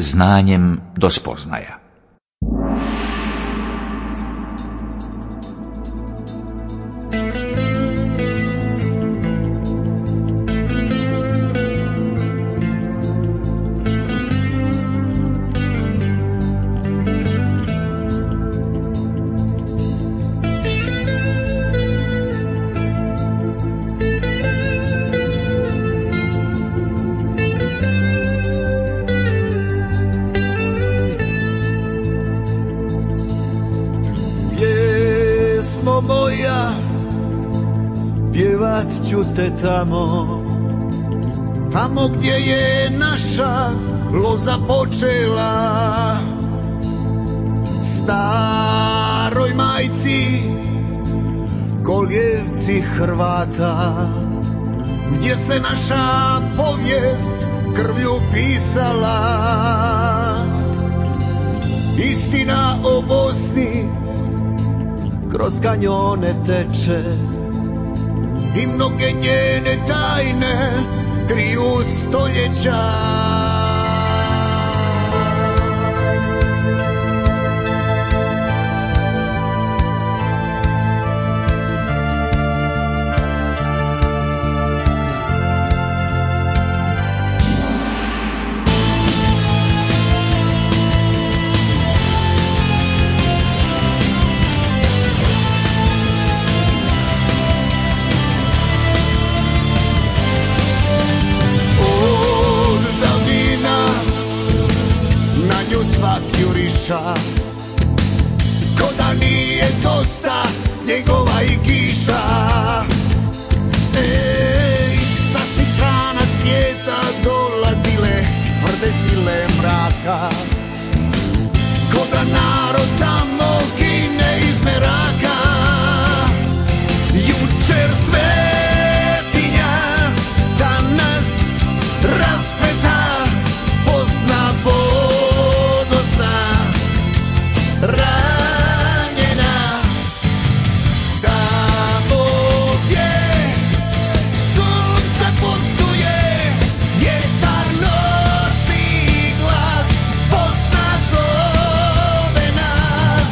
znanjem do spoznaja. Te tamo gdje je naša loza počela, staroj majci koljevci Hrvata, gdje se naša povijest krvlju pisala. Istina o Bosni kroz kanjone teče i mnoge njene tajne kriju stoljeća. Ko da nije dosta snjegova i kiša, sa svih strana svijeta dolazile tvrde sile mraka. Ko da narod tamo gine iz meraka, jučer svetinja, danas raspeta Bosna ponosna, ranjena, tamo gdje sunce putuje, vjetar nosi glas, Bosna zove nas.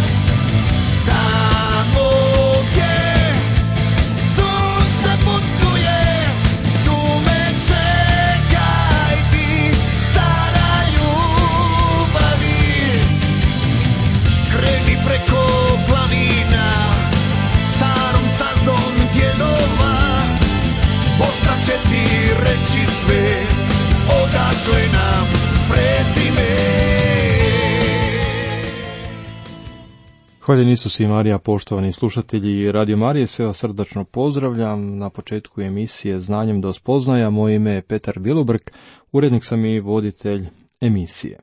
Tamo gdje sunce putuje, tu me čekaj ti, stara ljubavi. Kreni preko planina, starom stazom djedova, Bosna će ti reći sve, odakle nam prezime. Hvaljen Isus i Marija, poštovani slušatelji Radio Marije, sve vas srdačno pozdravljam na početku emisije Znanjem do spoznaja. Moje ime je Petar Bilubrk, urednik sam i voditelj emisije.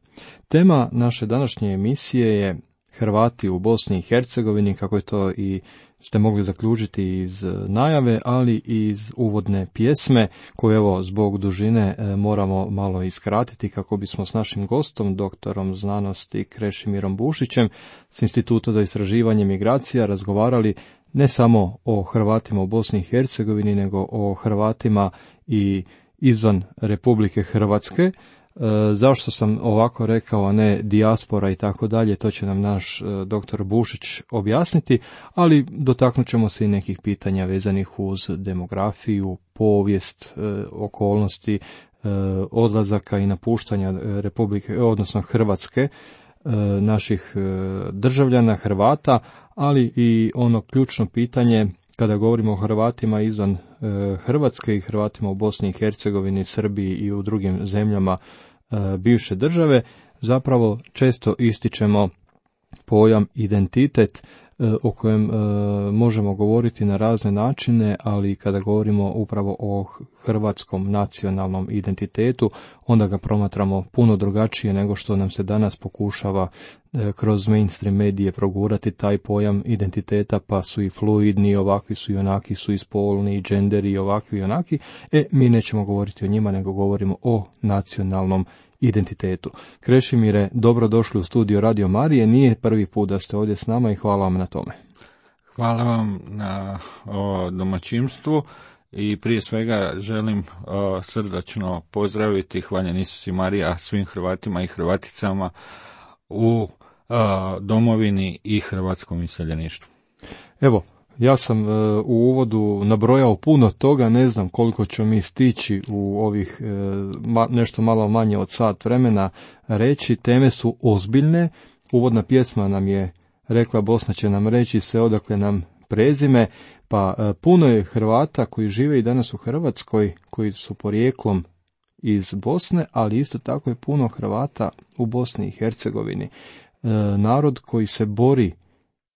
Tema naše današnje emisije je Hrvati u Bosni i Hercegovini, kako je to i ste mogli zaključiti iz najave, ali i iz uvodne pjesme, koju evo zbog dužine moramo malo iskratiti kako bismo s našim gostom, doktorom znanosti Krešimirom Bušićem s Instituta za istraživanje migracija razgovarali ne samo o Hrvatima u Bosni i Hercegovini, nego o Hrvatima i izvan Republike Hrvatske. Zašto sam ovako rekao, a ne dijaspora i tako dalje, to će nam naš doktor Bušić objasniti, ali dotaknut ćemo se i nekih pitanja vezanih uz demografiju, povijest, okolnosti, odlazaka i napuštanja Republike, odnosno Hrvatske, naših državljana Hrvata, ali i ono ključno pitanje kada govorimo o Hrvatima izvan Hrvatske i Hrvatima u Bosni i Hercegovini, Srbiji i u drugim zemljama bivše države, zapravo često ističemo pojam identitet o kojem možemo govoriti na razne načine, ali kada govorimo upravo o hrvatskom nacionalnom identitetu, onda ga promatramo puno drugačije nego što nam se danas pokušava kroz mainstream medije progurati taj pojam identiteta, pa su i fluidni, ovakvi su i onaki su i spolni, i genderi, i ovakvi i onaki. Mi nećemo govoriti o njima, nego govorimo o nacionalnom identitetu. Krešimire, dobrodošli u studio Radio Marije, nije prvi put da ste ovdje s nama i hvala vam na tome. Hvala vam na domaćinstvu i prije svega želim srdačno pozdraviti, hvaljen Isus i Marija, svim Hrvatima i Hrvaticama u domovini i hrvatskom iseljeništvu. Evo, ja sam u uvodu nabrojao puno toga, ne znam koliko ćemo mi stići u ovih nešto malo manje od sat vremena reći. Teme su ozbiljne, uvodna pjesma nam je rekla, Bosna će nam reći sve odakle nam prezime, pa puno je Hrvata koji žive i danas u Hrvatskoj, koji su porijeklom iz Bosne, ali isto tako je puno Hrvata u Bosni i Hercegovini. Narod koji se bori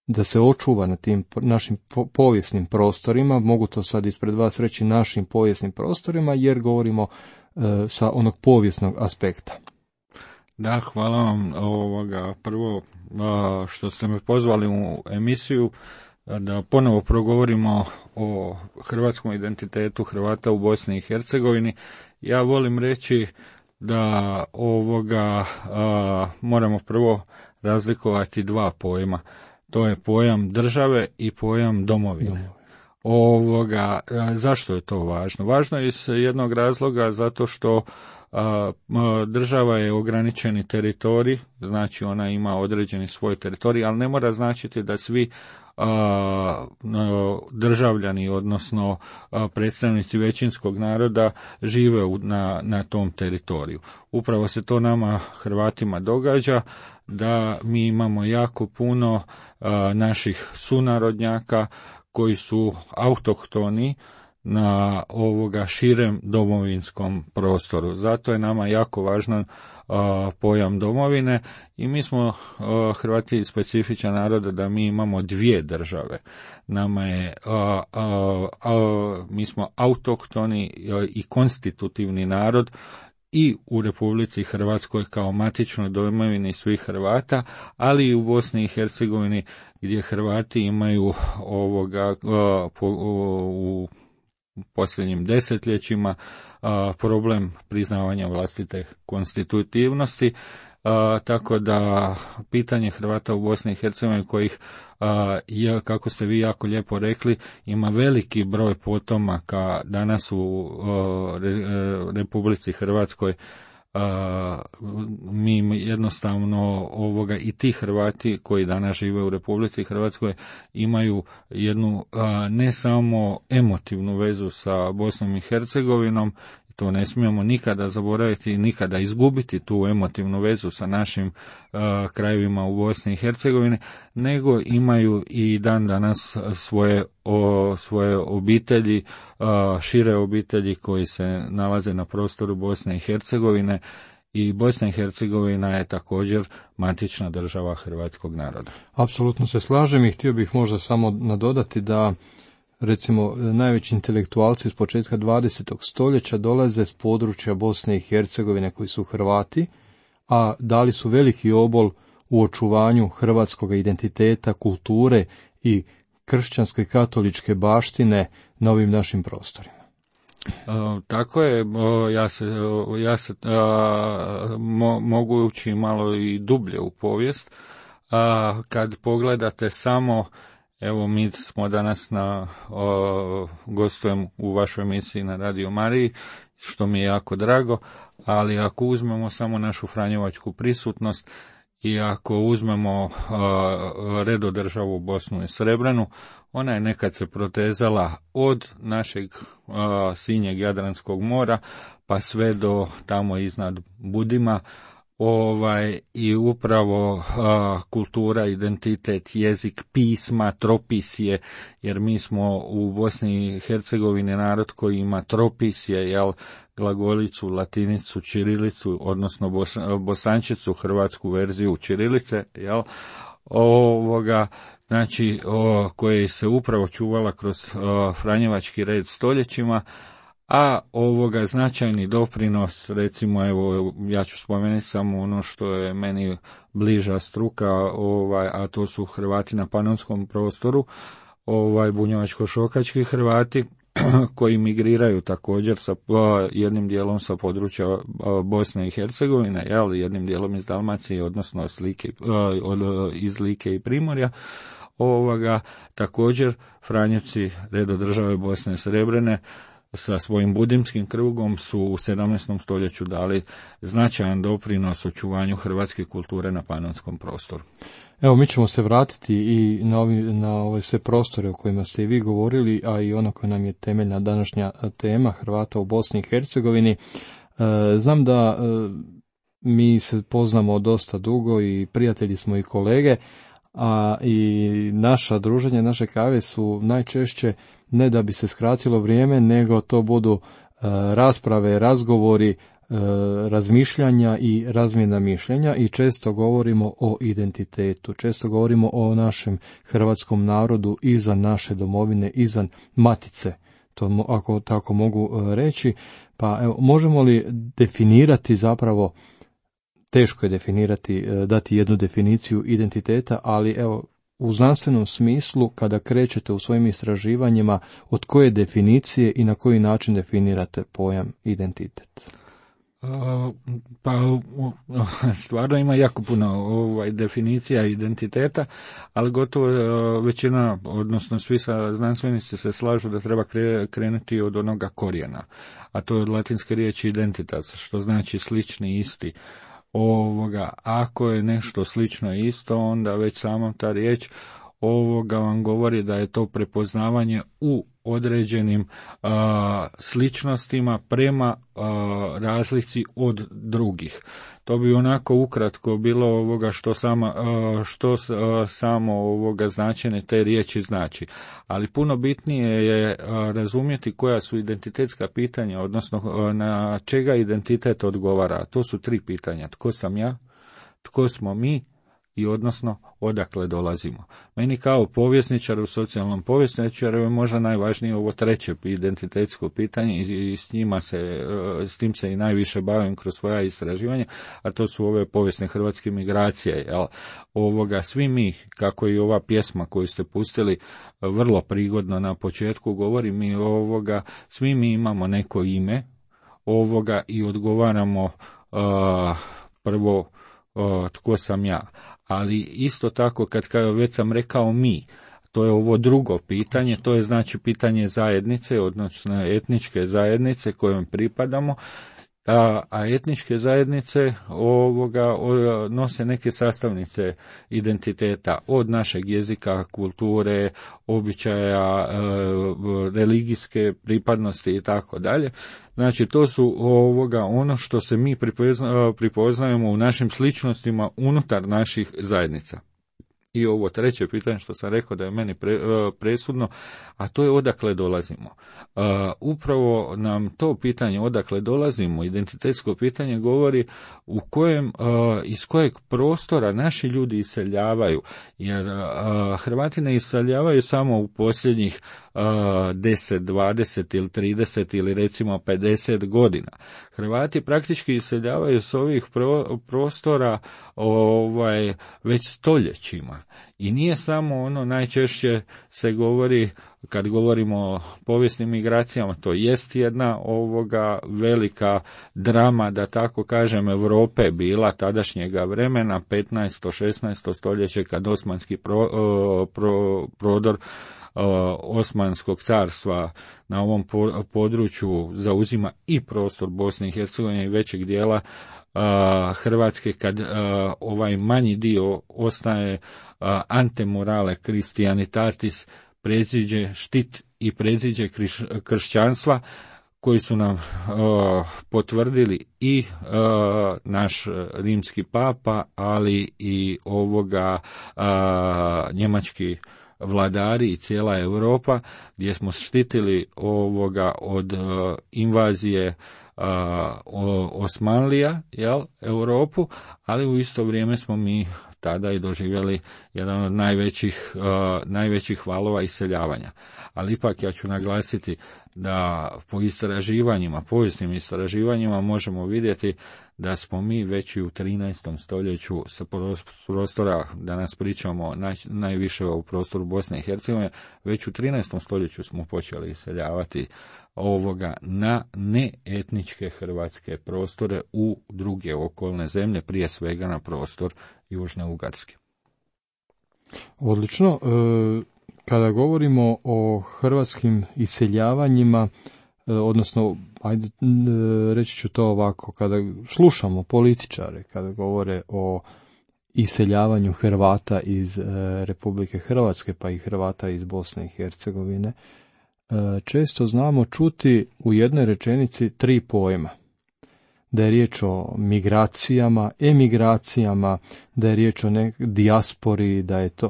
da se očuva na tim našim povijesnim prostorima, mogu to sad ispred vas reći našim povijesnim prostorima, jer govorimo sa onog povijesnog aspekta. Da, hvala vam prvo što ste me pozvali u emisiju da ponovo progovorimo o hrvatskom identitetu Hrvata u Bosni i Hercegovini. Ja volim reći da moramo prvo razlikovati dva pojma. To je pojam države i pojam domovine. Zašto je to važno? Važno je iz jednog razloga zato što država je ograničeni teritorij, znači ona ima određeni svoj teritorij, ali ne mora značiti da svi državljani, odnosno predstavnici većinskog naroda žive na tom teritoriju. Upravo se to nama Hrvatima događa, da mi imamo jako puno naših sunarodnjaka koji su autohtoni na širem domovinskom prostoru. Zato je nama jako važan pojam domovine i mi smo Hrvati specifičan narod da mi imamo dvije države. Nama je mi smo autohtoni i konstitutivni narod i u Republici Hrvatskoj kao matičnoj domovini svih Hrvata, ali i u Bosni i Hercegovini gdje Hrvati imaju u posljednjim desetljećima problem priznavanja vlastite konstitutivnosti, tako da pitanje Hrvata u Bosni i Hercegovini kojih, kako ste vi jako lijepo rekli, ima veliki broj potomaka danas u Republici Hrvatskoj. Mi jednostavno i ti Hrvati koji danas žive u Republici Hrvatskoj imaju jednu ne samo emotivnu vezu sa Bosnom i Hercegovinom, to ne smijemo nikada zaboraviti i nikada izgubiti tu emotivnu vezu sa našim krajevima u Bosni i Hercegovini, nego imaju i dan danas svoje obitelji, šire obitelji koji se nalaze na prostoru Bosne i Hercegovine, i Bosna i Hercegovina je također matična država hrvatskog naroda. Apsolutno se slažem i htio bih možda samo nadodati da recimo najveći intelektualci s početka 20. stoljeća dolaze s područja Bosne i Hercegovine koji su Hrvati, a dali su veliki obol u očuvanju hrvatskog identiteta, kulture i kršćanske katoličke baštine na ovim našim prostorima. Tako je, ja se mogu ući malo i dublje u povijest. Kad pogledate samo, evo mi smo danas gostujem u vašoj emisiji na Radio Mariji, što mi je jako drago, ali ako uzmemo samo našu franjevačku prisutnost i ako uzmemo redodržavu Bosnu i Srebrenu, ona je nekad se protezala od našeg sinjeg Jadranskog mora pa sve do tamo iznad Budima, i upravo kultura, identitet, jezik, pisma, tropisje, jer mi smo u Bosni i Hercegovini narod koji ima tropisje, glagolicu, latinicu, ćirilicu, odnosno bosančicu, hrvatsku verziju ćirilice, znači koje se upravo čuvala kroz franjevački red stoljećima, a značajni doprinos, recimo, evo, ja ću spomenuti samo ono što je meni bliža struka, a to su Hrvati na panonskom prostoru, bunjevačko-šokački Hrvati, koji migriraju također sa jednim dijelom sa područja Bosne i Hercegovine, jednim dijelom iz Dalmacije, odnosno iz Like i Primorja, također Franjevci redodržave Bosne Srebrene sa svojim budimskim krugom su u 17. stoljeću dali značajan doprinos očuvanju hrvatske kulture na panonskom prostoru. Evo, mi ćemo se vratiti i na ove sve prostore o kojima ste i vi govorili, a i ono koje nam je temeljna današnja tema, Hrvata u Bosni i Hercegovini. Znam da mi se poznamo dosta dugo i prijatelji smo i kolege, a i naša druženja, naše kave su najčešće ne da bi se skratilo vrijeme, nego to budu rasprave, razgovori, razmišljanja i razmjena mišljenja i često govorimo o identitetu, često govorimo o našem hrvatskom narodu izvan naše domovine, izvan matice, to ako tako mogu reći. Pa evo, možemo li definirati zapravo, teško je definirati, dati jednu definiciju identiteta, ali evo, u znanstvenom smislu, kada krećete u svojim istraživanjima, od koje definicije i na koji način definirate pojam identitet? Pa stvarno ima jako puno definicija identiteta, ali gotovo većina, odnosno svi znanstvenici se slažu da treba krenuti od onoga korijena, a to je od latinske riječi identitas, što znači slični, isti. Ako je nešto slično i isto, onda već sama ta riječ vam govori da je to prepoznavanje u određenim sličnostima prema razlici od drugih. To bi onako ukratko bilo što samo značenje te riječi znači. Ali puno bitnije je razumjeti koja su identitetska pitanja, odnosno na čega identitet odgovara. To su 3 pitanja. Tko sam ja, tko smo mi i odnosno odakle dolazimo. Meni kao povjesničaru, socijalnom povjesničaru je možda najvažnije ovo 3. identitetsko pitanje i s tim se i najviše bavim kroz svoja istraživanja, a to su ove povijesne hrvatske migracije. Svi mi, kako i ova pjesma koju ste pustili vrlo prigodno na početku govori mi svi mi imamo neko ime i odgovaramo prvo tko sam ja. Ali isto tako, kad već sam rekao mi, to je ovo drugo pitanje, to je znači pitanje zajednice, odnosno etničke zajednice kojom pripadamo, a etničke zajednice nose neke sastavnice identiteta, od našeg jezika, kulture, običaja, religijske pripadnosti i tako dalje. Znači, to su ono što se mi pripoznajemo u našim sličnostima unutar naših zajednica. I ovo 3. pitanje što sam rekao da je meni presudno, a to je odakle dolazimo. Upravo nam to pitanje odakle dolazimo, identitetsko pitanje, govori iz kojeg prostora naši ljudi iseljavaju, jer Hrvati ne iseljavaju samo u posljednjih 10, 20 ili 30 ili recimo 50 godina. Hrvati praktički iseljavaju s ovih prostora već stoljećima. I nije samo najčešće se govori, kad govorimo o povijesnim migracijama, to jest jedna velika drama, da tako kažem, Europe bila tadašnjega vremena, 15. 16. stoljeće, kad osmanski prodor Osmanskog carstva na ovom području zauzima i prostor Bosne i Hercegovine i većeg dijela Hrvatske, kad ovaj manji dio ostaje antemorale Christianitatis, predziđe štit i predziđe kršćanstva, koji su nam potvrdili i naš rimski papa, ali i njemački vladari i cijela Europa, gdje smo štitili od invazije Osmanlija, Europu, ali u isto vrijeme smo mi tada i doživjeli jedan od najvećih valova iseljavanja. Ali ipak ja ću naglasiti da po istraživanjima, povijesnim istraživanjima možemo vidjeti da smo mi već i u 13. stoljeću sa prostora, danas pričamo najviše o prostoru Bosne i Hercegovine, već u 13. stoljeću smo počeli iseljavati na neetničke hrvatske prostore u druge okolne zemlje, prije svega na prostor Južne Ugarske. Odlično. Kada govorimo o hrvatskim iseljavanjima, odnosno, ajde, reći ću to ovako, kada slušamo političare, kada govore o iseljavanju Hrvata iz Republike Hrvatske, pa i Hrvata iz Bosne i Hercegovine, često znamo čuti u jednoj rečenici 3 pojma. Da je riječ o migracijama, emigracijama, da je riječ o dijaspori, da je to...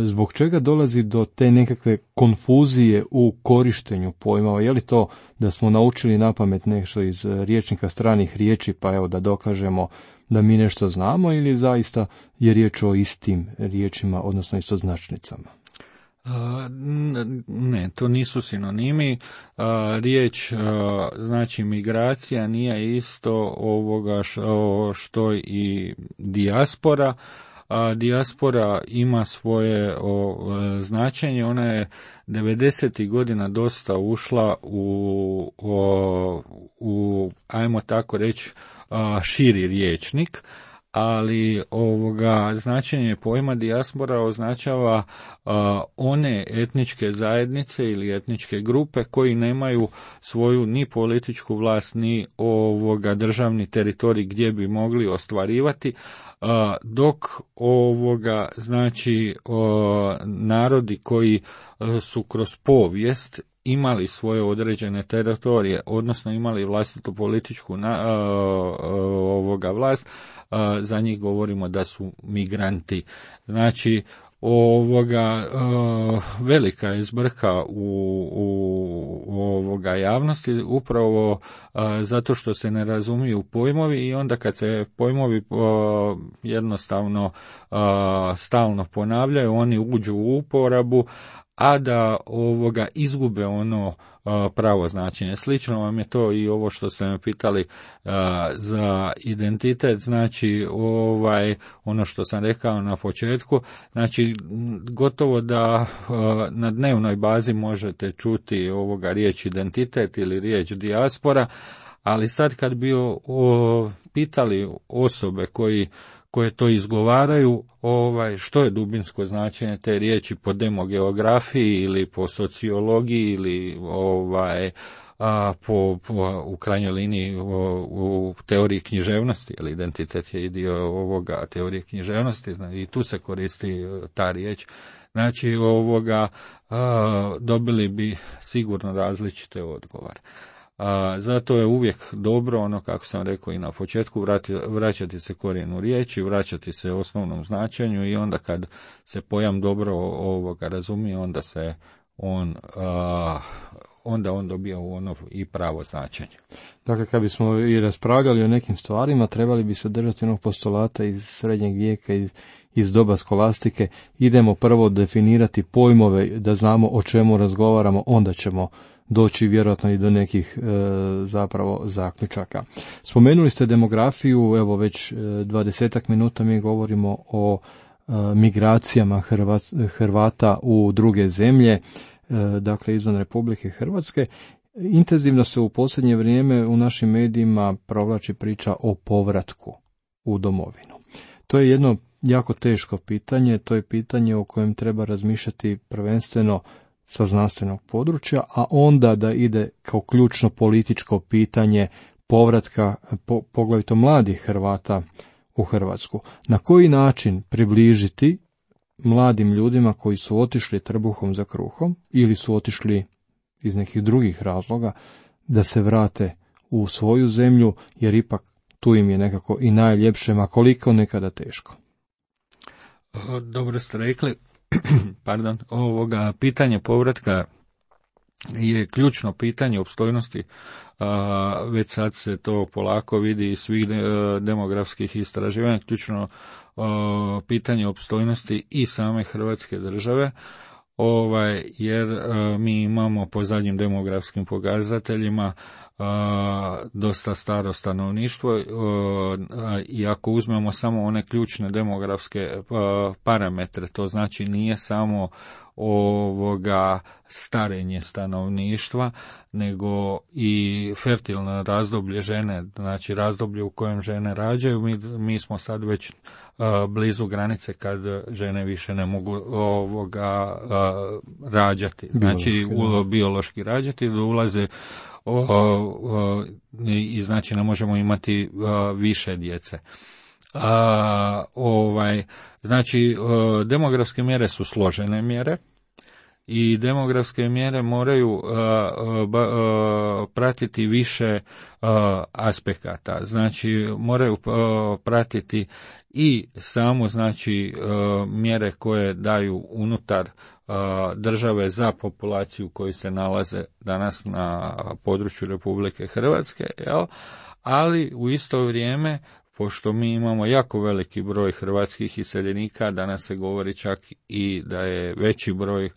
Zbog čega dolazi do te nekakve konfuzije u korištenju pojmova? Je li to da smo naučili napamet nešto iz rječnika stranih riječi, pa evo da dokažemo da mi nešto znamo, ili zaista je riječ o istim riječima, odnosno istoznačnicama? Ne, to nisu sinonimi. Riječ znači migracija nije isto ovoga što i dijaspora. Dijaspora ima svoje značenje, ona je 90. godina dosta ušla u ajmo tako reći, širi rječnik, ali značenje pojma dijaspora označava one etničke zajednice ili etničke grupe koji nemaju svoju ni političku vlast, ni državni teritorij gdje bi mogli ostvarivati, dok znači narodi koji su kroz povijest imali svoje određene teritorije, odnosno imali vlastitu političku vlast, za njih govorimo da su migranti. Znači, velika je zbrka u javnosti upravo zato što se ne razumiju pojmovi, i onda kad se pojmovi jednostavno stalno ponavljaju, oni uđu u uporabu, a da izgube ono pravo značenje. Slično vam je to i ovo što ste me pitali za identitet, znači ono što sam rekao na početku, znači gotovo da na dnevnoj bazi možete čuti riječ identitet ili riječ dijaspora, ali sad kad bi pitali osobe koje to izgovaraju, što je dubinsko značenje te riječi po demogeografiji ili po sociologiji ili u krajnjoj liniji u teoriji književnosti, jer identitet je i dio teorije književnosti, i tu se koristi ta riječ. Znači, dobili bi sigurno različite odgovore. Zato je uvijek dobro, kako sam rekao i na početku, vraćati se korijenu riječi, vraćati se osnovnom značenju, i onda kad se pojam dobro razumije, onda se on dobija ono i pravo značenje. Dakle, kad bismo i raspravljali o nekim stvarima, trebali bi se držati onog postulata iz srednjeg vijeka, iz doba skolastike. Idemo prvo definirati pojmove, da znamo o čemu razgovaramo, onda ćemo doći vjerojatno i do nekih zapravo zaključaka. Spomenuli ste demografiju, evo već 20 minuta mi govorimo o migracijama Hrvata u druge zemlje, dakle izvan Republike Hrvatske. Intenzivno se u posljednje vrijeme u našim medijima provlači priča o povratku u domovinu. To je jedno jako teško pitanje, to je pitanje o kojem treba razmišljati prvenstveno sa znanstvenog područja, a onda da ide kao ključno političko pitanje povratka poglavito mladih Hrvata u Hrvatsku. Na koji način približiti mladim ljudima koji su otišli trbuhom za kruhom ili su otišli iz nekih drugih razloga da se vrate u svoju zemlju, jer ipak tu im je nekako i najljepše, ma koliko nekada teško. Dobro ste rekli. Pardon, pitanje povratka je ključno pitanje opstojnosti. Već sad se to polako vidi iz svih demografskih istraživanja, ključno pitanje opstojnosti i same Hrvatske države, jer mi imamo po zadnjim demografskim pokazateljima dosta staro stanovništvo, i ako uzmemo samo one ključne demografske parametre, to znači nije samo starenje stanovništva, nego i fertilno razdoblje žene, znači razdoblje u kojem žene rađaju. Mi smo sad već blizu granice kad žene više ne mogu rađati, znači biološki rađati, da ulaze i znači ne možemo imati više djece. Znači demografske mjere su složene mjere i demografske mjere moraju pratiti više aspekata, znači moraju pratiti i samo znači mjere koje daju unutar države za populaciju koji se nalaze danas na području Republike Hrvatske, ali u isto vrijeme, pošto mi imamo jako veliki broj hrvatskih iseljenika, danas se govori čak i da je veći broj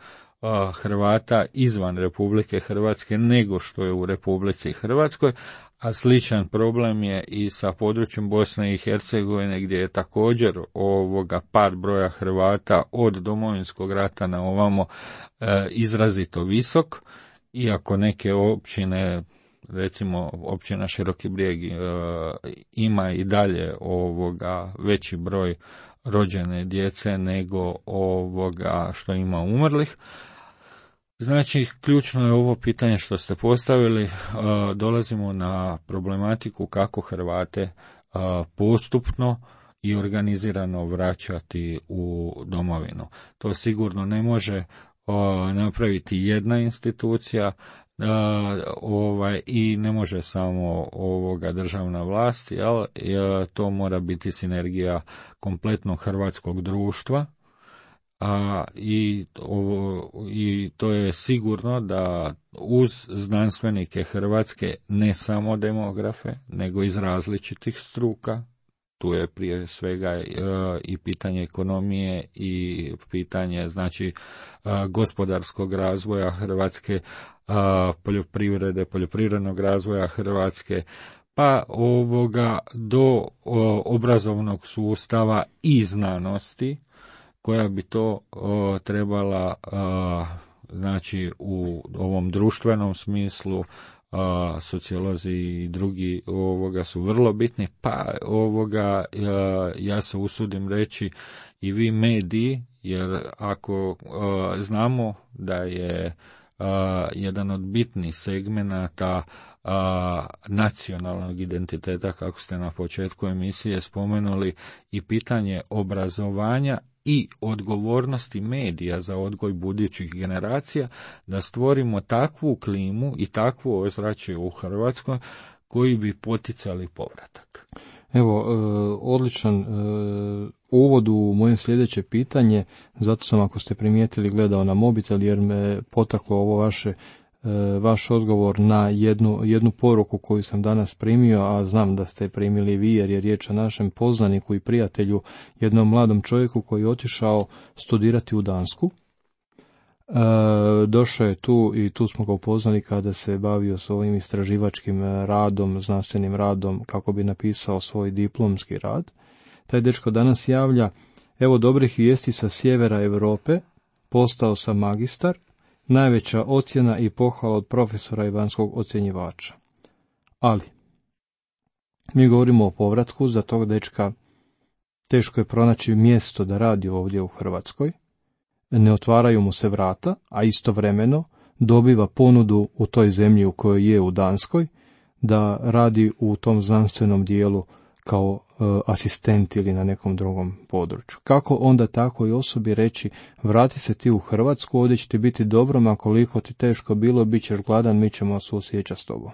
Hrvata izvan Republike Hrvatske nego što je u Republici Hrvatskoj, a sličan problem je i sa područjem Bosne i Hercegovine, gdje je također pad broja Hrvata od Domovinskog rata na ovamo izrazito visok, iako neke općine, recimo općina Široki Brijeg, ima i dalje veći broj rođene djece nego što ima umrlih. Znači, ključno je ovo pitanje što ste postavili, dolazimo na problematiku kako Hrvate postupno i organizirano vraćati u domovinu. To sigurno ne može napraviti jedna institucija, i ne može samo državna vlast, to mora biti sinergija kompletnog hrvatskog društva, i to je sigurno da uz znanstvenike Hrvatske, ne samo demografe, nego iz različitih struka, tu je prije svega i pitanje ekonomije i pitanje znači gospodarskog razvoja Hrvatske, poljoprivrede, poljoprivrednog razvoja Hrvatske, pa do obrazovnog sustava i znanosti, koja bi to trebala, znači u ovom društvenom smislu, sociolozi i drugi su vrlo bitni, pa ja se usudim reći i vi mediji, jer ako znamo da je jedan od bitnih segmenata nacionalnog identiteta, kako ste na početku emisije spomenuli, i pitanje obrazovanja i odgovornosti medija za odgoj budućih generacija, da stvorimo takvu klimu i takvu ozračje u Hrvatskoj koji bi poticali povratak. Evo, odličan uvod u moje sljedeće pitanje, zato sam, ako ste primijetili, gledao na mobitel jer me potaklo ovo vaš odgovor na jednu poruku koju sam danas primio, a znam da ste primili vi jer je riječ o našem poznaniku i prijatelju, jednom mladom čovjeku koji je otišao studirati u Dansku. Došao je tu i tu smo ga upoznali kada se bavio svojim istraživačkim radom, znanstvenim radom, kako bi napisao svoj diplomski rad. Taj dečko danas javlja: evo dobrih vijesti sa sjevera Europe, postao sam magistar, najveća ocjena i pohvala od profesora i vanjskog ocjenjivača. Ali, mi govorimo o povratku, za tog dečka teško je pronaći mjesto da radi ovdje u Hrvatskoj, ne otvaraju mu se vrata, a istovremeno dobiva ponudu u toj zemlji u kojoj je, u Danskoj, da radi u tom znanstvenom dijelu kao asistent ili na nekom drugom području. Kako onda takvoj osobi reći: vrati se ti u Hrvatsku, ovdje će ti biti dobro, ma koliko ti teško bilo, bit ćeš gladan, mi ćemo se osjećati s tobom?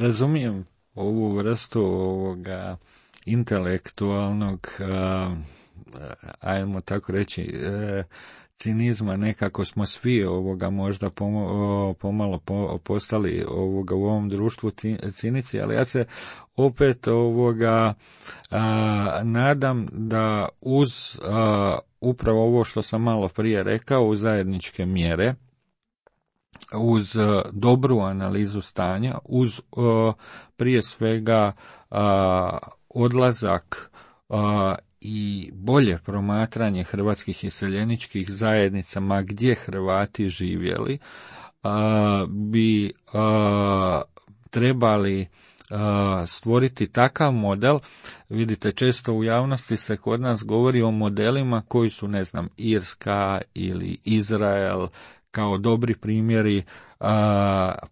Razumijem ovu vrstu intelektualnog, ajmo tako reći, cinizma. Nekako smo svi možda pomalo postali u ovom društvu cinici, ali ja se opet nadam da uz upravo ovo što sam malo prije rekao, uz zajedničke mjere, uz dobru analizu stanja, uz prije svega odlazak i bolje promatranje hrvatskih iseljeničkih zajednica, ma gdje Hrvati živjeli, bi trebali stvoriti takav model. Vidite, često u javnosti se kod nas govori o modelima koji su, ne znam, Irska ili Izrael kao dobri primjeri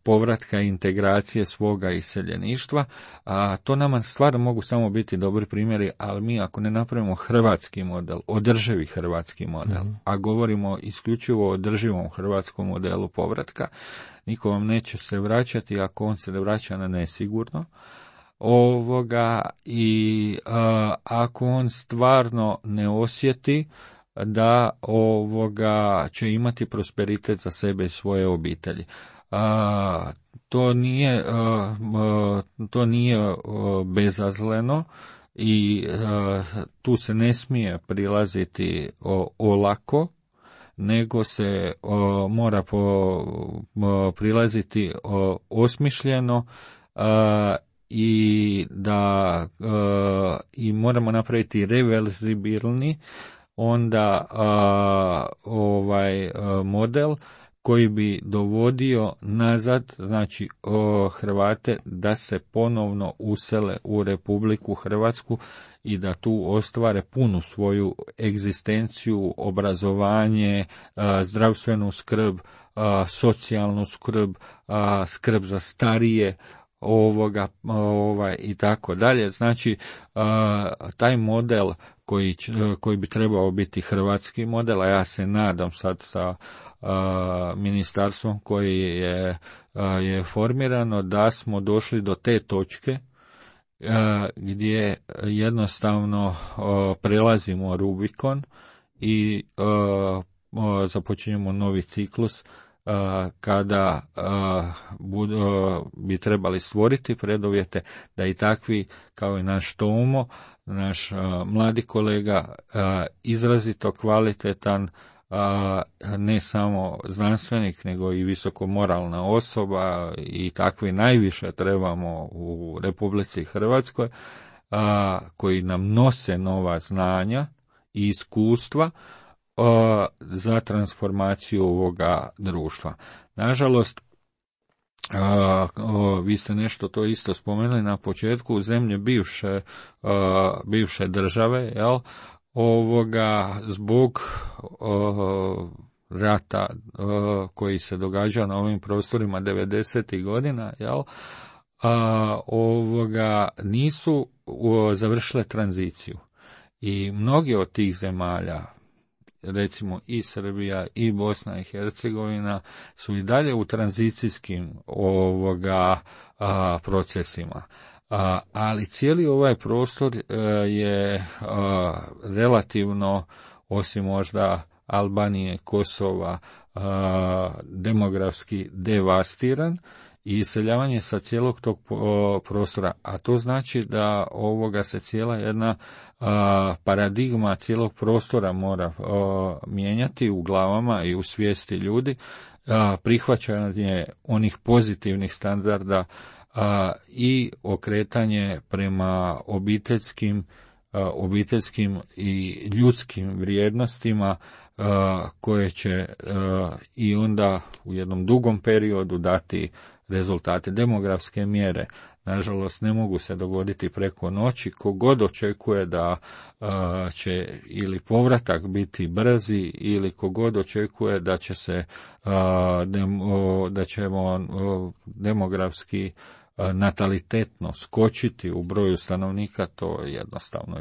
povratka i integracije svoga iseljeništva. To nama stvarno mogu samo biti dobri primjeri, ali mi ako ne napravimo hrvatski model, održivi hrvatski model, a govorimo isključivo o održivom hrvatskom modelu povratka, niko vam neće se vraćati ako on se ne vraća na nesigurno. I ako on stvarno ne osjeti da će imati prosperitet za sebe i svoje obitelji. To nije bezazleno i tu se ne smije prilaziti olako, nego se mora prilaziti osmišljeno i moramo napraviti reverzibilni onda model koji bi dovodio nazad, znači Hrvate da se ponovno usele u Republiku Hrvatsku i da tu ostvare punu svoju egzistenciju, obrazovanje, zdravstvenu skrb, socijalnu skrb, skrb za starije, i tako dalje. Znači, taj model koji bi trebao biti hrvatski model, a ja se nadam sad sa ministarstvom koji je formirano, da smo došli do te točke gdje jednostavno prelazimo Rubikon i započinjemo novi ciklus kada bi trebali stvoriti preduvjete da i takvi kao i naš Tomo, naš mladi kolega, izrazito kvalitetan, ne samo znanstvenik nego i visoko moralna osoba, i takvi najviše trebamo u Republici Hrvatskoj, koji nam nose nova znanja i iskustva za transformaciju ovoga društva. Nažalost, vi ste nešto to isto spomenuli na početku, u zemlje bivše države, zbog rata koji se događa na ovim prostorima 90. godina, nisu završile tranziciju. I mnogi od tih zemalja, recimo i Srbija i Bosna i Hercegovina, su i dalje u tranzicijskim procesima. Ali cijeli ovaj prostor je relativno, osim možda Albanije, Kosova, demografski devastiran i iseljavanje sa cijelog tog prostora, a to znači da se cijela jedna paradigma cijelog prostora mora mijenjati u glavama i u svijesti ljudi, prihvaćanje onih pozitivnih standarda i okretanje prema obiteljskim i ljudskim vrijednostima koje će i onda u jednom dugom periodu dati rezultate. Demografske mjere, nažalost, ne mogu se dogoditi preko noći. Kogod očekuje da će ili povratak biti brzi, ili kogod očekuje da će se da ćemo demografski natalitetno skočiti u broju stanovnika, to jednostavno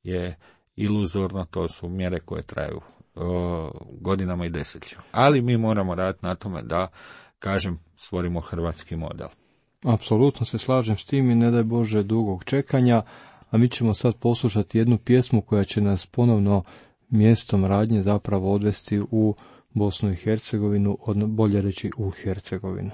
je iluzorno. To su mjere koje traju godinama i desetljećima. Ali mi moramo raditi na tome da, kažem, stvorimo hrvatski model. Apsolutno se slažem s tim i ne daj Bože dugog čekanja, a mi ćemo sad poslušati jednu pjesmu koja će nas ponovno mjestom radnje zapravo odvesti u Bosnu i Hercegovinu, bolje reći u Hercegovinu.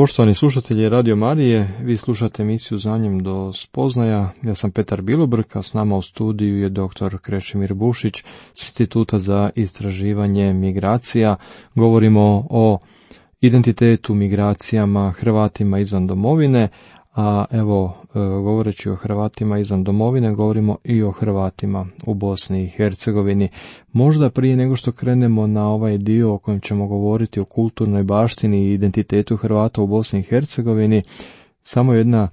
Poštovani slušatelji Radio Marije, vi slušate emisiju Znanjem do spoznaja. Ja sam Petar Bilobrk, a s nama u studiju je dr. Krešimir Bušić s Instituta za istraživanje migracija. Govorimo o identitetu, migracijama, Hrvatima izvan domovine, a evo, govoreći o Hrvatima izvan domovine, govorimo i o Hrvatima u Bosni i Hercegovini. Možda prije nego što krenemo na ovaj dio o kojem ćemo govoriti o kulturnoj baštini i identitetu Hrvata u Bosni i Hercegovini, samo jedna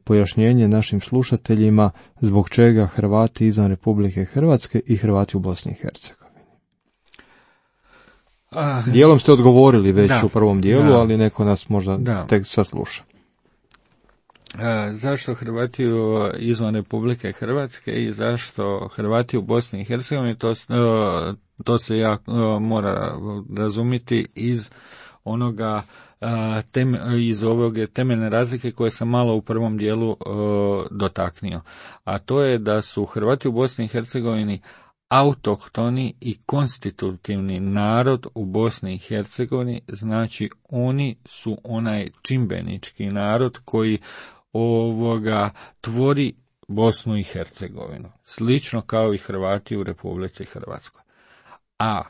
pojašnjenje našim slušateljima zbog čega Hrvati izvan Republike Hrvatske i Hrvati u Bosni i Hercegovini. Dijelom ste odgovorili već u prvom dijelu, ali neko nas možda tek sasluša. Zašto Hrvati izvan Republike Hrvatske i zašto Hrvati u Bosni i Hercegovini, to se mora razumjeti iz onoga iz ove temeljne razlike koje sam malo u prvom dijelu dotaknio. A to je da su Hrvati u Bosni i Hercegovini autohtoni i konstitutivni narod u Bosni i Hercegovini, znači oni su onaj čimbenički narod koji tvori Bosnu i Hercegovinu, slično kao i Hrvati u Republici Hrvatskoj. A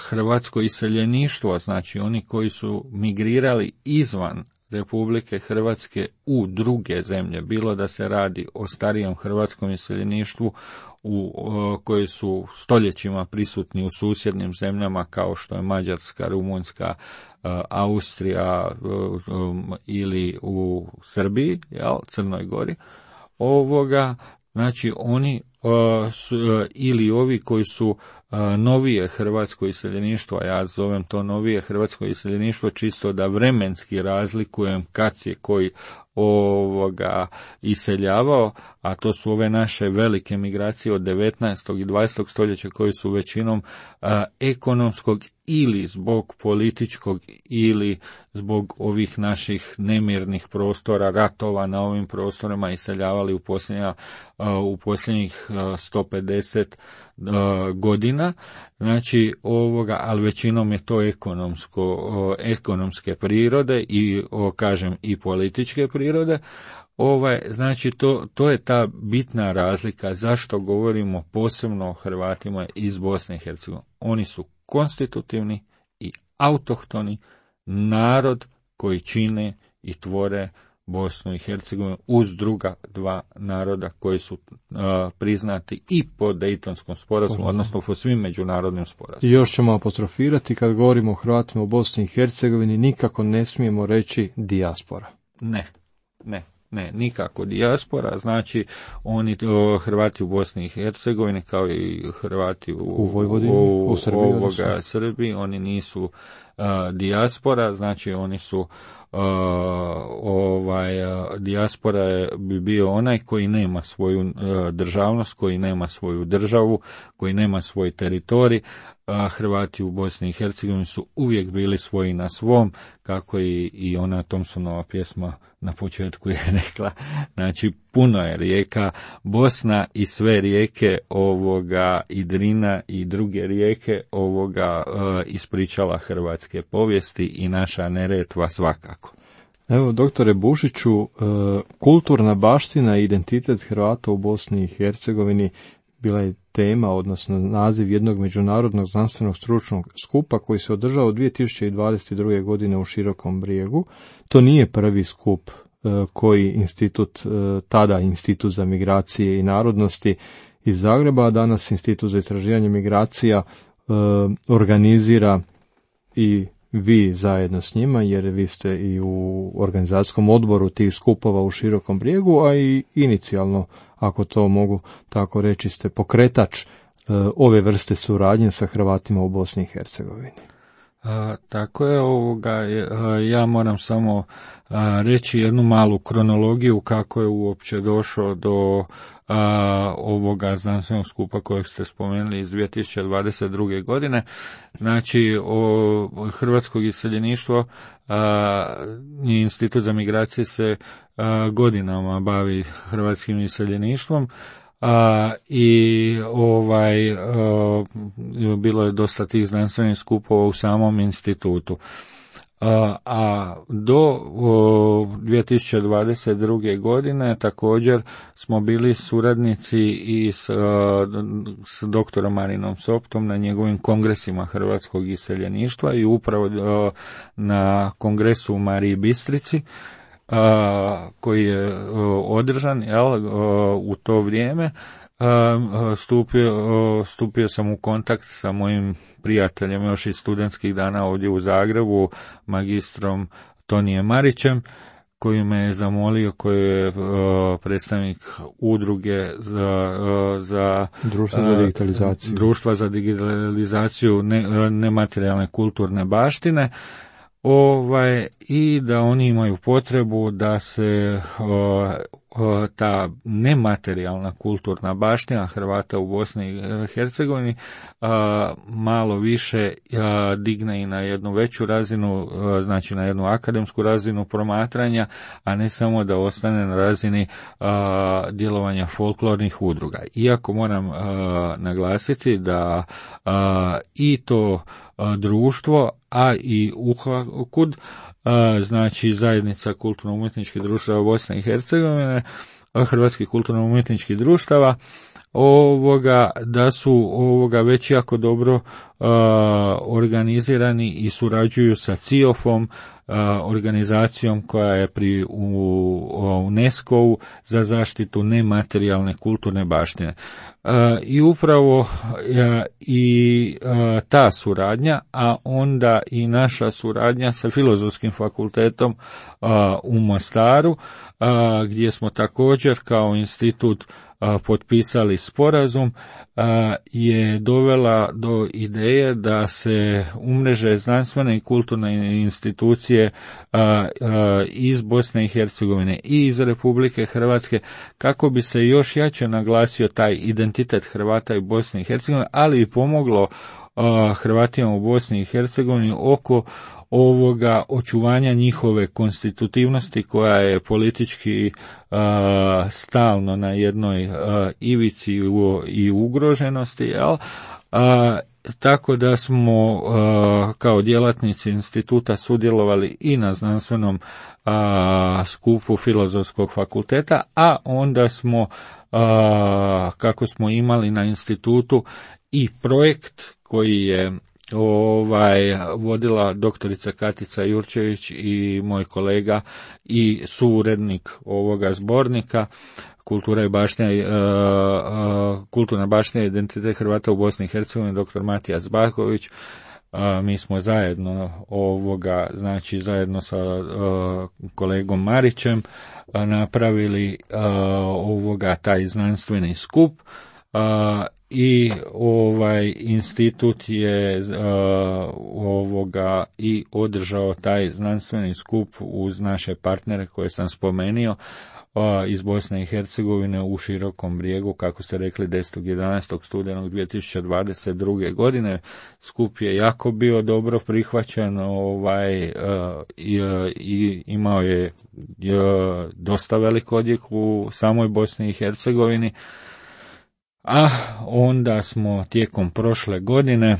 hrvatsko iseljeništvo, znači oni koji su migrirali izvan Republike Hrvatske u druge zemlje, bilo da se radi o starijem hrvatskom iseljeništvu koji su stoljećima prisutni u susjednim zemljama kao što je Mađarska, Rumunjska, Austrija ili u Srbiji, Crnoj Gori, znači oni ili ovi koji su novije hrvatsko iseljeništvo, a ja zovem to novije hrvatsko iseljeništvo čisto da vremenski razlikujem kad je koji iseljavao, a to su ove naše velike migracije od 19. i 20. stoljeća koji su većinom ekonomskog ili zbog političkog ili zbog ovih naših nemirnih prostora, ratova na ovim prostorima iseljavali u posljednjih 150 godina, znači ali većinom je to ekonomske prirode i kažem i političke prirode. Znači to je ta bitna razlika zašto govorimo posebno o Hrvatima iz Bosne i Hercegovine. Oni su konstitutivni i autohtoni narod koji čine i tvore Bosnu i Hercegovinu uz druga dva naroda koji su priznati i po Dejtonskom sporazumu, odnosno po svim međunarodnim sporazumima. I još ćemo apostrofirati, kad govorimo o Hrvatima u Bosni i Hercegovini, nikako ne smijemo reći dijaspora. Ne, nikako dijaspora, znači oni Hrvati u Bosni i Hercegovini kao i Hrvati u Vojvodini, u Srbiji, oni nisu dijaspora, znači oni su dijaspora bi bio onaj koji nema svoju državnost, koji nema svoju državu, koji nema svoj teritorij. Hrvati u Bosni i Hercegovini su uvijek bili svoji na svom, kako i ona Thompsonova pjesma na početku je rekla, znači puno je rijeka Bosna i sve rijeke i Drina i druge rijeke ispričala hrvatske povijesti i naša Neretva svakako. Evo, doktore Bušiću, kulturna baština i identitet Hrvata u Bosni i Hercegovini bila je tema, odnosno naziv jednog međunarodnog znanstvenog stručnog skupa koji se održao 2022. godine u Širokom Brijegu. To nije prvi skup koji tada Institut za migracije i narodnosti iz Zagreba, a danas Institut za istraživanje migracija organizira i vi zajedno s njima, jer vi ste i u organizacijskom odboru tih skupova u Širokom Brijegu, a i inicijalno, ako to mogu tako reći, ste pokretač ove vrste suradnje sa Hrvatima u Bosni i Hercegovini. Tako je, ja moram samo reći jednu malu kronologiju kako je uopće došlo do ovoga znanstvenog skupa kojeg ste spomenuli iz 2022. godine. Znači, hrvatskog iseljeništvo i Institut za migracije se godinama bavi hrvatskim iseljeništvom. Bilo je dosta tih znanstvenih skupova u samom institutu. a do 2022. godine također smo bili suradnici i s doktorom Marinom Soptom na njegovim kongresima hrvatskog iseljeništva i upravo na kongresu u Mariji Bistrici koji je održan u to vrijeme. Stupio sam u kontakt sa mojim prijateljem još iz studentskih dana ovdje u Zagrebu, magistrom Tonijem Marićem, koji me je zamolio, koji je predstavnik udruge za društva za digitalizaciju nematerijalne kulturne baštine, i da oni imaju potrebu da se ta nematerijalna kulturna baština Hrvata u Bosni i Hercegovini malo više digne i na jednu veću razinu, znači na jednu akademsku razinu promatranja, a ne samo da ostane na razini djelovanja folklornih udruga. Iako moram naglasiti da i to društvo, a i UHAKUD, znači zajednica kulturno-umjetničkih društava Bosne i Hercegovine, hrvatskih kulturno-umjetničkih društava, da su već jako dobro organizirani i surađuju sa CIOF-om, organizacijom koja je pri UNESCO-u za zaštitu nematerijalne kulturne baštine. I upravo ta suradnja, a onda i naša suradnja sa Filozofskim fakultetom u Mostaru, gdje smo također kao institut potpisali sporazum, je dovela do ideje da se umreže znanstvene i kulturne institucije iz Bosne i Hercegovine i iz Republike Hrvatske, kako bi se još jače naglasio taj identitet Hrvata i Bosne i Hercegovine, ali i pomoglo Hrvatima u Bosni i Hercegovini oko ovoga očuvanja njihove konstitutivnosti, koja je politički stalno na jednoj ivici i ugroženosti, tako da smo kao djelatnici instituta sudjelovali i na znanstvenom skupu Filozofskog fakulteta, a onda smo, kako smo imali na institutu i projekt koji je vodila doktorica Katica Jurčević i moj kolega i suurednik ovoga zbornika Kulturna baština i identitet Hrvata u Bosni i Hercegovini, dr. Matijas Baković. Mi smo zajedno zajedno sa kolegom Marićem napravili taj znanstveni skup, i institut je i održao taj znanstveni skup uz naše partnere koje sam spomenuo iz Bosne i Hercegovine u Širokom Brijegu, kako ste rekli, 10.11. studenog 2022. godine. Skup je jako bio dobro prihvaćen i imao je dosta velik odjek u samoj Bosni i Hercegovini. A onda smo tijekom prošle godine,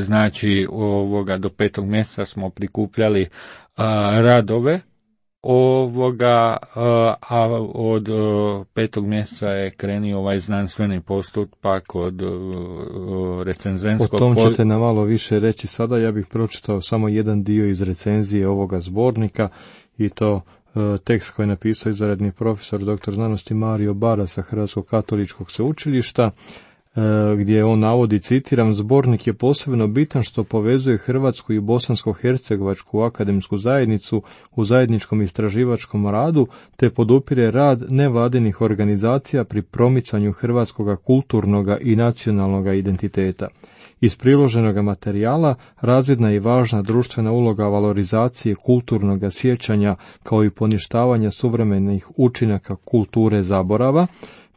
znači do 5. mjeseca smo prikupljali radove a od 5. mjeseca je krenio ovaj znanstveni postupak od recenzentskog... O tom ćete nam malo više reći sada. Ja bih pročitao samo jedan dio iz recenzije ovoga zbornika, i to tekst koji je napisao izvanredni profesor dr. znanosti Mario Bara sa Hrvatskog katoličkog sveučilišta, gdje on navodi, citiram: zbornik je posebno bitan što povezuje hrvatsku i bosansko-hercegovačku akademsku zajednicu u zajedničkom istraživačkom radu, te podupire rad nevladinih organizacija pri promicanju hrvatskoga kulturnoga i nacionalnoga identiteta. Iz priloženog materijala razvidna je i važna društvena uloga valorizacije kulturnog sjećanja kao i poništavanja suvremenih učinaka kulture zaborava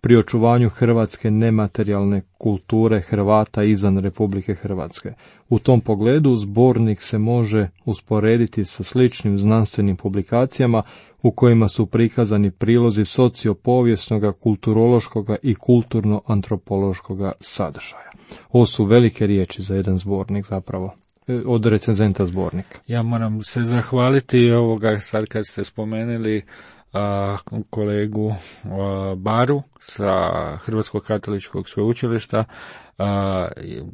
pri očuvanju hrvatske nematerijalne kulture Hrvata izvan Republike Hrvatske. U tom pogledu zbornik se može usporediti sa sličnim znanstvenim publikacijama u kojima su prikazani prilozi sociopovijesnoga, kulturološkoga i kulturno-antropološkoga sadržaja. Ovo su velike riječi za jedan zbornik zapravo. od recenzenta zbornika. Ja moram se zahvaliti sad kad ste spomenuli kolegu Baru sa Hrvatskog katoličkog sveučilišta,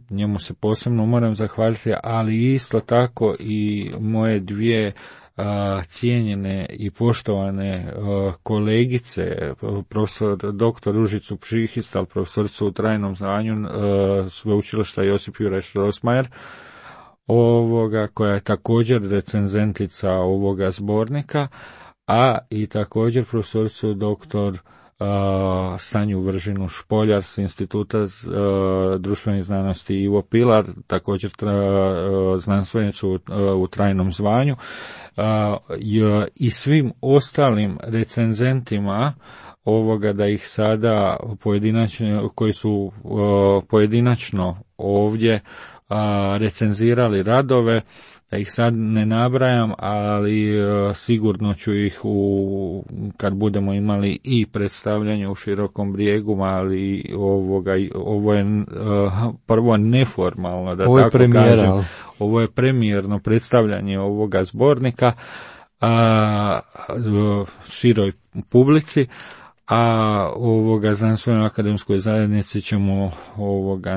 njemu se posebno moram zahvaliti, ali isto tako i moje dvije cijenjene i poštovane kolegice, profesor dr. Ružicu Pšihistal, profesoricu u trajnom zvanju sveučilišta Josip Juraj Strossmayer, koja je također recenzentica ovoga zbornika, a i također profesoricu dr. Sanju Vržinu Špoljar s Instituta društvenih znanosti Ivo Pilar, također znanstvenicu u trajnom zvanju, i svim ostalim recenzentima da ih sada pojedinačno, koji su pojedinačno ovdje recenzirali radove, da ih sad ne nabrajam, ali sigurno ću ih kad budemo imali i predstavljanje u Širokom Brijegu, ali ovo je prvo neformalno, da ovo tako kažem. Ovo je premijerno predstavljanje ovoga zbornika široj publici, a znanstvenoj akademskoj zajednici ćemo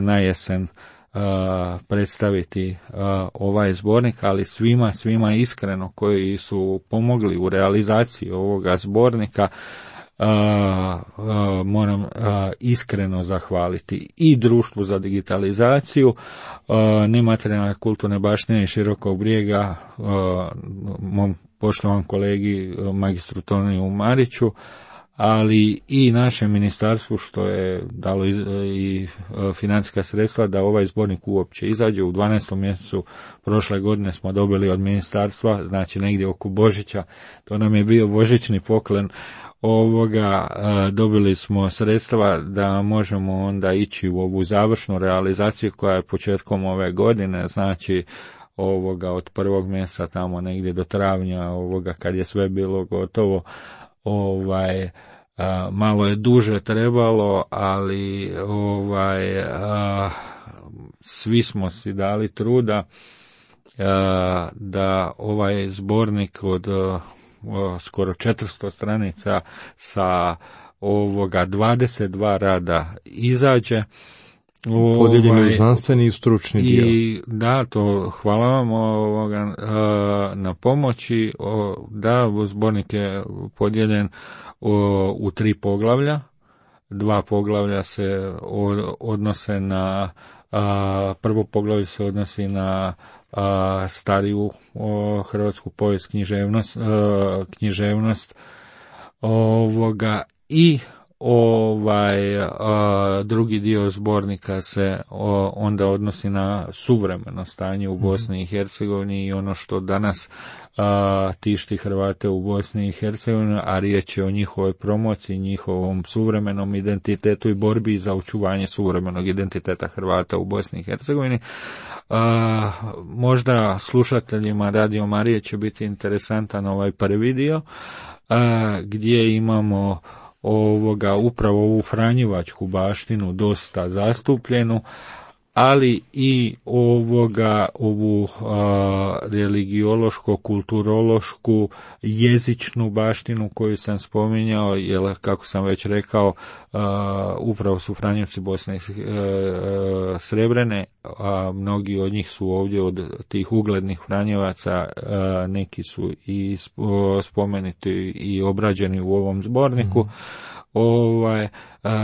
na jesen predstaviti ovaj zbornik, ali svima iskreno koji su pomogli u realizaciji ovoga zbornika moram iskreno zahvaliti i Društvu za digitalizaciju nematerijalne kulturne baštine i Širokog Brijega, mom poštovanom kolegi magistru Toniju Mariću, ali i našem ministarstvu što je dalo i financijska sredstva da ovaj zbornik uopće izađe. U 12. mjesecu prošle godine smo dobili od ministarstva, znači negdje oko Božića, to nam je bio božićni poklon dobili smo sredstva da možemo onda ići u ovu završnu realizaciju koja je početkom ove godine, znači od 1. mjeseca tamo negdje do travnja kad je sve bilo gotovo, malo je duže trebalo, ali svi smo si dali truda da ovaj zbornik od skoro 400 stranica sa 22 rada izađe. Podijeljeni u znanstveni i stručni dio. I da, to hvala vam na pomoći. Da, zbornik je podijeljen u 3 poglavlja. 2 poglavlja se odnose na, prvo poglavlje se odnosi na stariju hrvatsku povijest, književnost i drugi dio zbornika se onda odnosi na suvremeno stanje u Bosni i Hercegovini i ono što danas tišti Hrvate u Bosni i Hercegovini, a riječ je o njihovoj promociji, njihovom suvremenom identitetu i borbi za očuvanje suvremenog identiteta Hrvata u Bosni i Hercegovini. Možda slušateljima Radio Marije će biti interesantan ovaj prvi dio, gdje imamo upravo ovu franjevačku baštinu dosta zastupljenu, ali i ovu religiološko, kulturološku, jezičnu baštinu koju sam spominjao, jer kako sam već rekao, upravo su Franjevci Bosne i Srebrene, a mnogi od njih su ovdje od tih uglednih Franjevaca, neki su i spomenuti i obrađeni u ovom zborniku,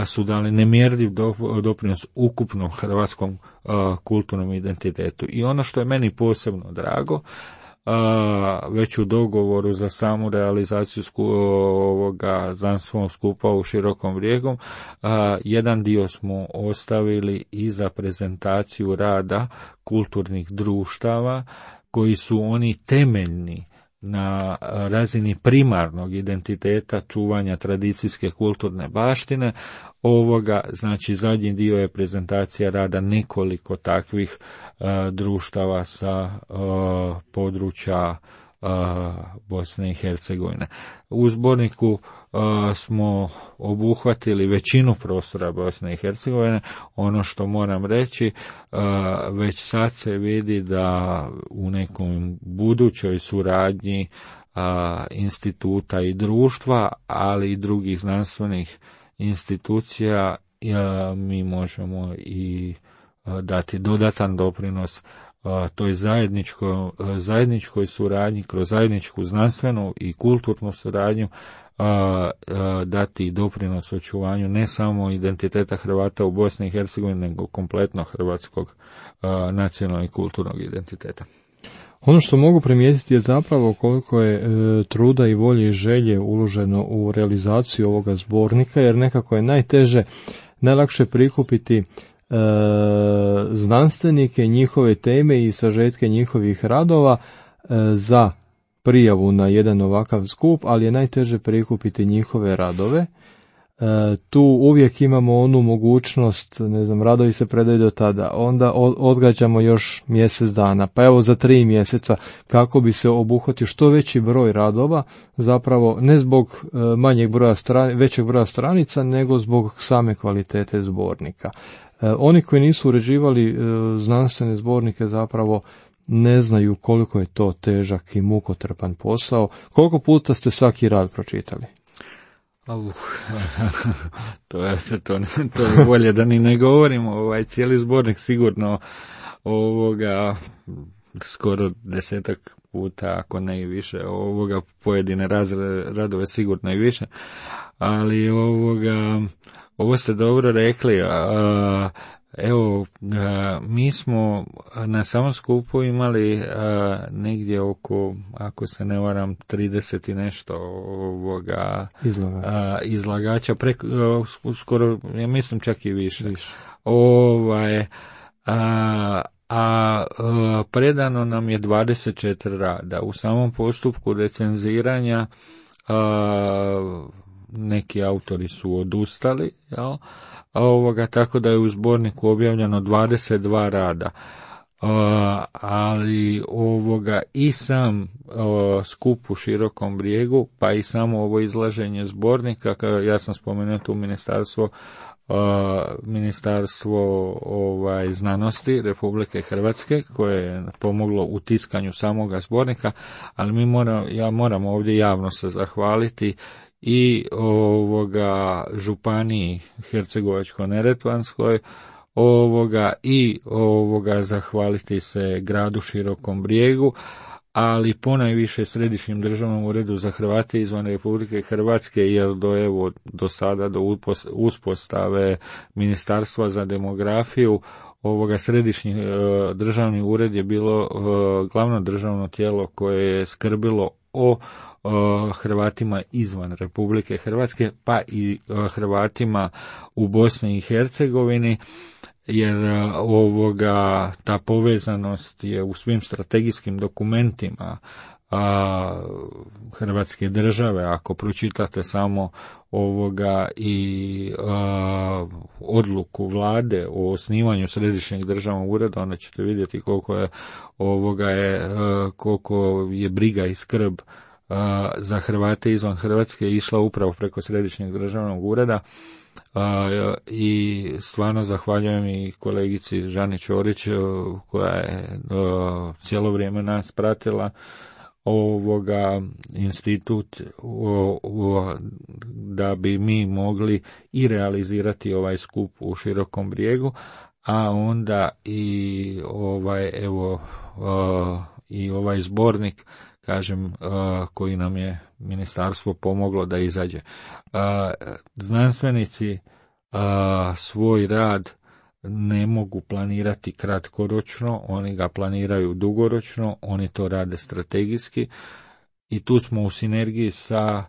su dali nemjerljiv doprinos ukupnom hrvatskom kulturnom identitetu. I ono što je meni posebno drago, već u dogovoru za samu realizaciju ovoga znanstvenog skupa u Širokom Brijegu, jedan dio smo ostavili i za prezentaciju rada kulturnih društava koji su oni temeljni na razini primarnog identiteta čuvanja tradicijske kulturne baštine. Znači zadnji dio je prezentacija rada nekoliko takvih društava sa područja Bosne i Hercegovine. U zborniku smo obuhvatili većinu prostora Bosne i Hercegovine. Ono što moram reći, već sad se vidi da u nekom budućoj suradnji instituta i društva, ali i drugih znanstvenih institucija, mi možemo i dati dodatan doprinos toj zajedničkoj suradnji, kroz zajedničku znanstvenu i kulturnu suradnju, dati doprinos očuvanju ne samo identiteta Hrvata u Bosni i Hercegovini, nego kompletno hrvatskog nacionalnog i kulturnog identiteta. Ono što mogu primijetiti je zapravo koliko je truda i volje i želje uloženo u realizaciju ovoga zbornika, jer nekako je najlakše prikupiti znanstvenike, njihove teme i sažetke njihovih radova za prijavu na jedan ovakav skup, ali je najteže prikupiti njihove radove. Tu uvijek imamo onu mogućnost, radovi se predaju do tada, onda odgađamo još mjesec dana, pa evo za 3 mjeseca, kako bi se obuhvatio što veći broj radova, zapravo ne zbog većeg broja stranica, nego zbog same kvalitete zbornika. Oni koji nisu uređivali znanstvene zbornike zapravo ne znaju koliko je to težak i mukotrpan posao. Koliko puta ste svaki rad pročitali? To je bolje da ni ne govorimo. Cijeli zbornik sigurno skoro 10 puta, ako ne i više, pojedine radove sigurno i više, ali ovo ste dobro rekli. Mi smo na samom skupu imali negdje oko, ako se ne varam, 30 i nešto izlagača, skoro, ja mislim čak i više. Predano nam je 24 rada. U samom postupku recenziranja neki autori su odustali, jel? Tako da je u zborniku objavljeno 22 rada. Ali i sam skup u Širokom Brijegu, pa i samo ovo izlaženje zbornika, ja sam spomenuo tu ministarstvo znanosti Republike Hrvatske, koje je pomoglo u tiskanju samoga zbornika, ali ja moram ovdje javno se zahvaliti i županiji Hercegovačko-neretvanskoj, i zahvaliti se gradu Širokom Brijegu, ali ponajviše Središnjem državnom uredu za Hrvate izvan Republike Hrvatske, jer do sada, do uspostave Ministarstva za demografiju, Središnji državni ured je bilo glavno državno tijelo koje je skrbilo o Hrvatima izvan Republike Hrvatske, pa i Hrvatima u Bosni i Hercegovini, jer ta povezanost je u svim strategijskim dokumentima Hrvatske države. Ako pročitate samo i odluku vlade o osnivanju Središnjeg državnog ureda, onda ćete vidjeti koliko je briga i skrb za Hrvate izvan Hrvatske išla upravo preko Središnjeg državnog ureda. I stvarno zahvaljujem i kolegici Žani Ćorić, koja je cijelo vrijeme nas pratila, institut, da bi mi mogli i realizirati ovaj skup u Širokom Brijegu, a onda i ovaj zbornik, kažem, koji nam je ministarstvo pomoglo da izađe. Znanstvenici svoj rad ne mogu planirati kratkoročno, oni ga planiraju dugoročno, oni to rade strategijski i tu smo u sinergiji sa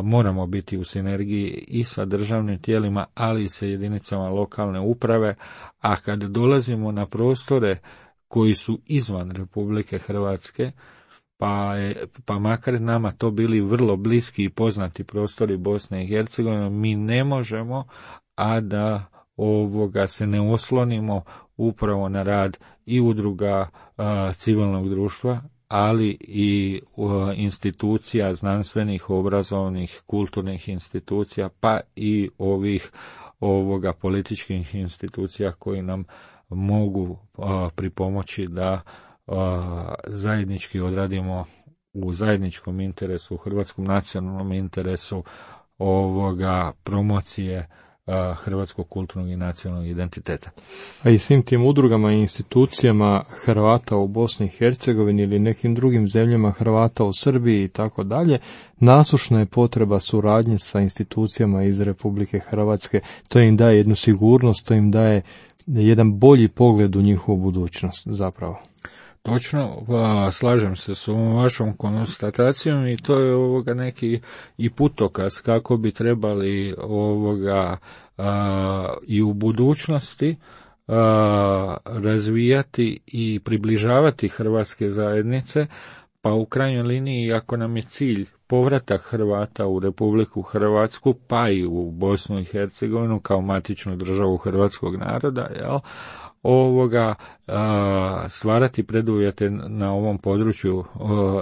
moramo biti u sinergiji i sa državnim tijelima, ali i sa jedinicama lokalne uprave, a kad dolazimo na prostore koji su izvan Republike Hrvatske, pa makar nama to bili vrlo bliski i poznati prostori Bosne i Hercegovine, mi ne možemo, a da se ne oslonimo upravo na rad i udruga civilnog društva ali i institucija znanstvenih, obrazovnih, kulturnih institucija, pa i ovoga političkih institucija koji nam mogu pripomoći da zajednički odradimo u zajedničkom interesu, u hrvatskom nacionalnom interesu promocije hrvatskog kulturnog i nacionalnog identiteta. A i svim tim udrugama i institucijama Hrvata u Bosni i Hercegovini ili nekim drugim zemljama Hrvata u Srbiji i tako dalje, nasušna je potreba suradnje sa institucijama iz Republike Hrvatske. To im daje jednu sigurnost, to im daje jedan bolji pogled u njihovu budućnost zapravo. Točno, slažem se s ovom vašom konstatacijom i to je neki i putokaz kako bi trebali i u budućnosti razvijati i približavati hrvatske zajednice, pa u krajnjoj liniji ako nam je cilj povratak Hrvata u Republiku Hrvatsku, pa i u Bosnu i Hercegovinu kao matičnu državu hrvatskog naroda, stvarati preduvjete na ovom području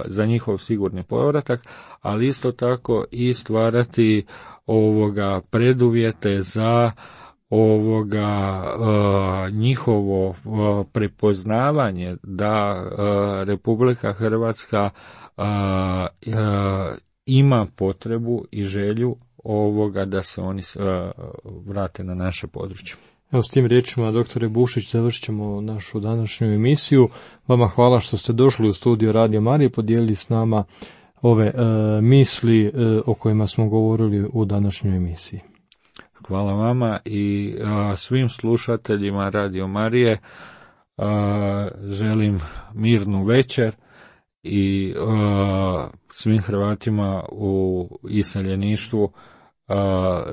za njihov sigurni povratak, ali isto tako i stvarati preduvjete za njihovo prepoznavanje da Republika Hrvatska ima potrebu i želju da se oni vrate na naše područje. Evo s tim riječima, doktore Bušić, završit ćemo našu današnju emisiju. Vama hvala što ste došli u studio Radio Marije i podijelili s nama ove misli o kojima smo govorili u današnjoj emisiji. Hvala vama i svim slušateljima Radio Marije želim mirnu večer i svim Hrvatima u iseljeništvu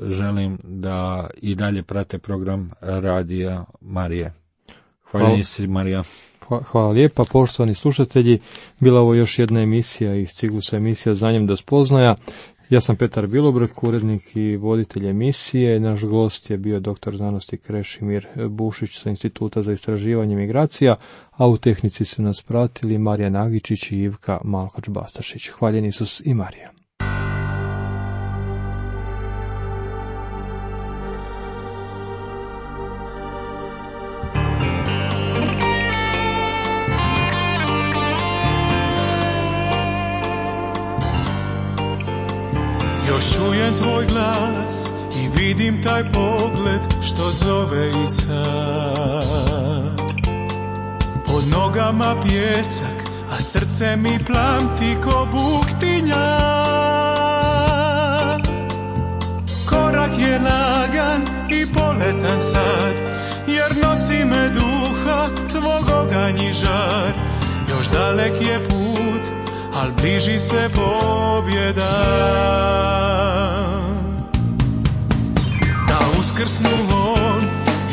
želim da i dalje prate program Radija Marije. Hvala si, Marija. Hvala lijepa, poštovani slušatelji. Bila ovo još jedna emisija iz ciklusa emisija Znanjem do spoznaja. Ja sam Petar Bilobrk, urednik i voditelj emisije. Naš gost je bio doktor znanosti Krešimir Bušić sa Instituta za istraživanje migracija, a u tehnici su nas pratili Marija Nagičić i Ivka Malkoč-Bastašić. Hvaljen Isus i Marija. Čujem tvoj glas i vidim taj pogled što zove i sad. Pod nogama pjesak, a srce mi plamti ko buktinja. Korak je lagan i poletan sad, jer nosi me duha tvog oganj i žar. Još dalek je put, al bliži se pobjeda. Da uskrsnu on,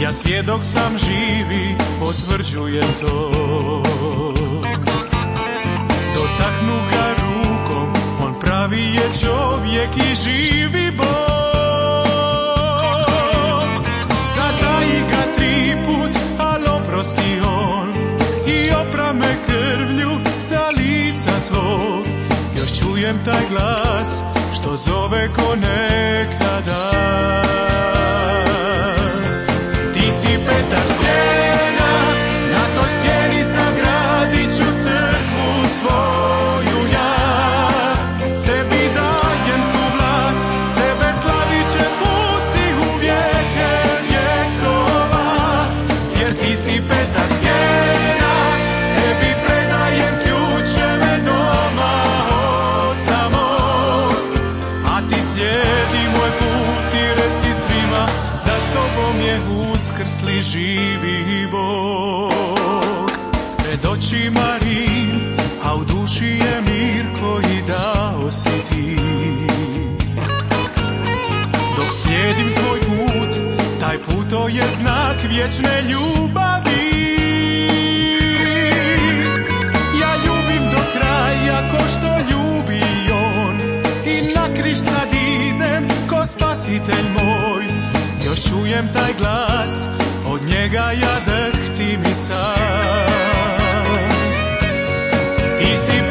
ja svjedok sam živi, potvrđujem to. Dotaknu ga rukom, on pravi je čovjek i živi Bog. Zataji ga 3 put, al oprosti on i opra me krvlju sa lica svog. Još čujem taj glas što zove ko nekada. Ti si Petar stijena, na toj stijeni sagradit ću crkvu svoju ja. Tebi dajem svu vlast, tebe slavit će puci u vijeke vjekova. Jer ti si Petar stijena, tebi predajem ključeve doma oca mog. A ti slijedi moj put i reci svima da s tobom je uskrsli živi Bog. Pred očima Rim, a u duši je mir koji dao si ti. Dok slijedim tvoj put, taj put to je znak vječne ljubavi. Ja ljubim do kraja ko što ljubi on i na križ sad idem ko spasitelj moj. Još čujem taj glas, od njega ja drhtim i sad. Ti si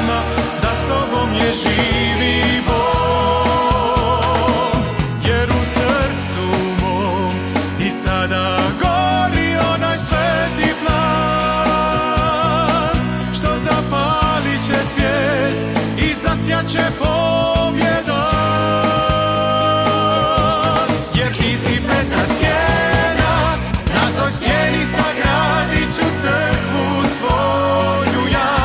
svima da s tobom je živi Bog. Jer u srcu mom i sada gori onaj sveti plan, što zapalit će svijet i zasjaće pobjeda. Jer ti si Petar stijena, na toj stijeni sagradit ću crkvu svoju ja.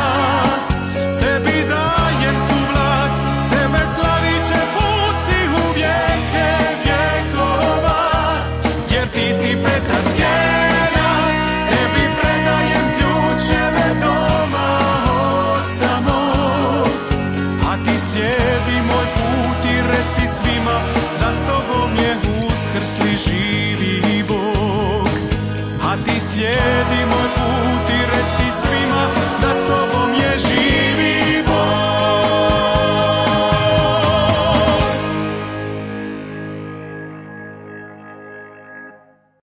Tebi dajem svu vlast, tebe slavit će puci u vijeke vjekova. Jer ti si Petar stijena, tebi predajem ključeve doma oca mog. A ti slijedi moj put i reci svima da s tobom je uskrsli živi Bog. A ti slijedi moj put i reci svima da